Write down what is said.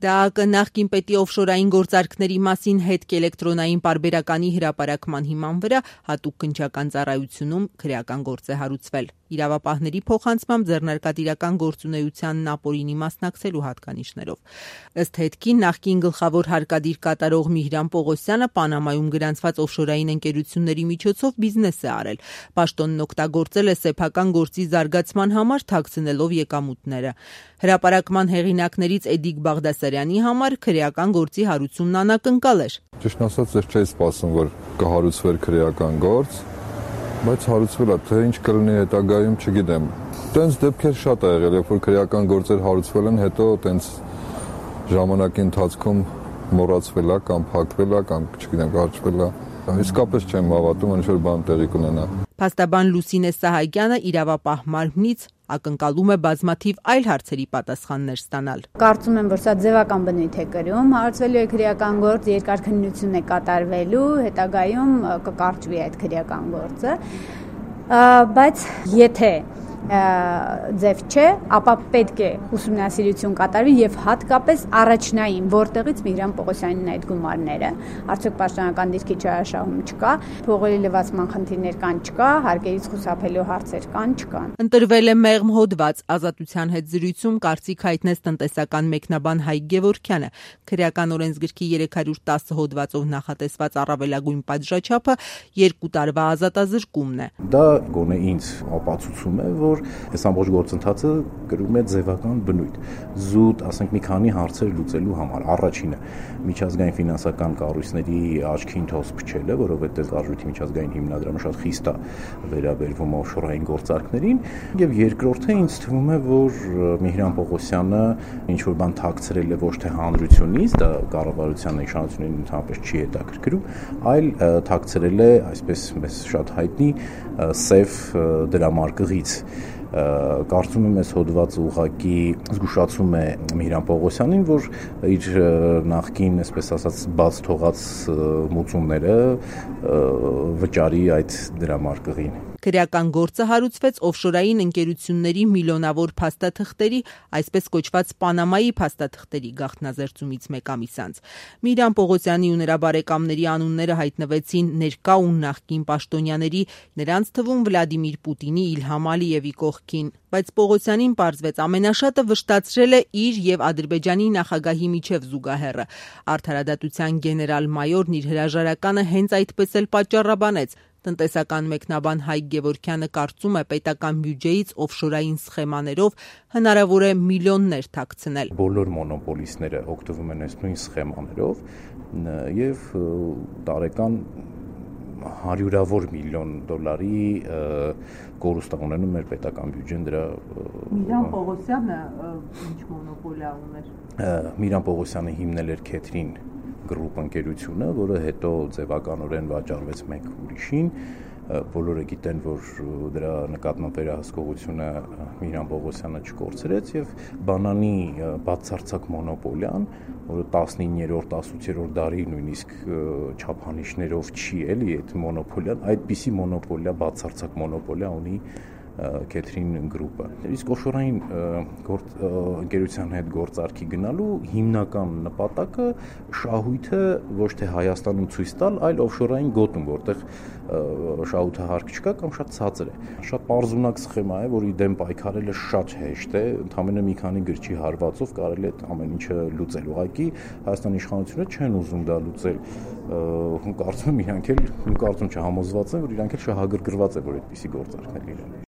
ԴԱԱԿ նախկին պետի օֆշորային գործարքների մասին հետք էլեկտրոնային պարբերականի հրապարակման հիման վրա հատուկ քննչական ծառայությունում քրեական գործ է հարուցվել։ Իրավապահների փոխանցմամբ ձեռնարկատիրական գործունեությանն ապօրինի մասնակցելու հատկանիշներով։ Ըստ հետքի նախկին գլխավոր հարկադիր կատարող Միհրան Պողոսյանը Պանամայում գրանցված օֆշորային ընկերությունների միջոցով բիզնես է արել։ Պաշտոնն օգտագործել է սեփական գործի զարգացման համար թաքցնելով եկամուտները։ Հրապարակման հեղինակներից Էդիկ Բաղդասարյանի համար քրեական գործի հարուցումն անակնկալ էր։ Ճիշտ ասած, ես չէի սպասում, որ կհարուցվեր քրեական գործ, բայց հարուցվել է, թե ինչ կլինի հետագայում, չգիտեմ։ Տենց դեպքեր շատ ա եղել, երբ որ քրեական գործեր հարուցվել են, հետո տենց ժամանակի ընթացքում մոռացվել է կամ փակվել է կամ չգիտեմ, կարճվել է։ Իսկապես չեմ հավատում, ինչ որ բան տեղի կունենա։ Փաստաբան Լուսինե Սահակյանը իրավապահ մարմնից ակնկալում է բազմաթիվ այլ հարցերի պատասխաններ ստանալ։ Կարծում եմ, որ սա ձևական բնույթ է կրում, հարուցվելու է քրեական գործ, երկար քննություն է կատարվելու, հետագայում կկարճվի այդ քրեական գործը, բայց եթե ձև չէ, ապա պետք է ուսումնասիրություն կատարվի եւ հատկապես առաջնային, որտեղից Միհրան Պողոսյանին այդ գումարները, արդյոք պաշտոնական դիրքի չարաշահում չկա, փողերի լվացման խնդիրներ կան չկա, հարկերից խուսափելու հարցեր կան չկան։ Ընտրվել է մեղմ հոդված, Ազատության հետ զրույցում կարծիք հայտնեց տնտեսական մեկնաբան Հայկ Գևորգյանը։ Քրեական օրենսգրքի 310 հոդվածով նախատեսված առավելագույն պատժաչափը 2 տարվա ազատազրկումն է։ Դա գոնե ինձ ապացուցում է, որ այս ամբողջ գործընթացը կրում է ձևական բնույթ։ Զուտ, ասենք, մի քանի հարցեր լուծելու համար։ Առաջինը միջազգային ֆինանսական կառույցների աչքին թոս փչելը, որովհետև արժույթի միջազգային հիմնադրամը շատ խիստ է վերաբերվում օֆշորային գործարքներին, եւ երկրորդը ինձ թվում է, որ Միհրան Պողոսյանը ինչ որ բան թաքցրել է ոչ թե հանրությունից, դա կառավարության իշխանություններին ընդհանրապես չի հետաքրքրում, այլ թաքցրել է, այսպես մեզ շատ հայտնի, սև դրամարկղից։ Կարծում եմ, այս հոդվածը ուղղակի զգուշացում է Միհրան Պողոսյանին, որ իր նախկին, այսպես ասած, բաց թողած մուծումները վճարի այդ դրամարկղին։ Քրեական գործը հարուցվեց օֆշորային ընկերությունների միլիոնավոր փաստաթղթերի, այսպես կոչված Պանամայի փաստաթղթերի գաղտնազերծումից մեկ ամիս անց։ Միհրան Պողոսյանի ու նրա բարեկամների անունները հայտնվեցին ներկա ու նախկին պաշտոնյաների, նրանց թվում Վլադիմիր Պուտինի, Իլհամ Ալիևի կողքին, բայց Պողոսյանին պարզվեց ամենաշատը վշտացրել է իր եւ Ադրբեջանի նախագահի միջև զուգահեռը։ Արդարադատության գեներալ-մայորն իր հրաժարականը հենց այդպես էլ պատճառաբանեց։ Տնտեսական մեկնաբան Հայկ Գևորգյանը կարծում է, պետական բյուջեից օֆշորային սխեմաներով հնարավոր է միլիոններ թաքցնել։ Բոլոր մոնոպոլիստները օգտվում են այս նույն սխեմաներով եւ տարեկան հարյուրավոր միլիոն դոլարի կորուստ ունենում մեր պետական բյուջեն դրա։ Միհրան Պողոսյանը ինչ մոնոպոլիա ուներ։ Միհրան Պողոսյանը հիմնել էր Քեթրին գրուպ ընկերությունը, որը հետո ձևականորեն վաճառվեց մեկ ուրիշին։ Բոլորը գիտեն, որ դրա նկատմամբ վերահսկողությունը Միհրան Պողոսյանը չկորցրեց եւ բանանի բացարձակ մոնոպոլիան, որը 19-րդ, 18-րդ դարի նույնիսկ չափանիշներով չի էլի այդ մոնոպոլիան, այդպիսի մոնոպոլիա, բացարձակ մոնոպոլիա ունի Քեթրին գրուպը։ Իսկ օֆշորային ընկերության հետ գործարքի գնալու հիմնական նպատակը շահույթը ոչ թե Հայաստանում ցույց տալ, այլ օֆշորային գոտում, որտեղ շահութը հարկ չկա կամ շատ ցածր է։ Շատ պարզունակ սխեմա է, որի դեմ պայքարելը շատ հեշտ է, ընդամենը մի քանի գրչի հարվածով կարելի է ամեն ինչը լուծել։ Ուղղակի Հայաստանի իշխանությունները չեն ուզում դա լուծել։ Կարծում եմ, իրանք էլ, կարծում չհամոզված են, որ իրանք էլ շահագրգռված է, որ այդպիսի գործարքներ լինեն։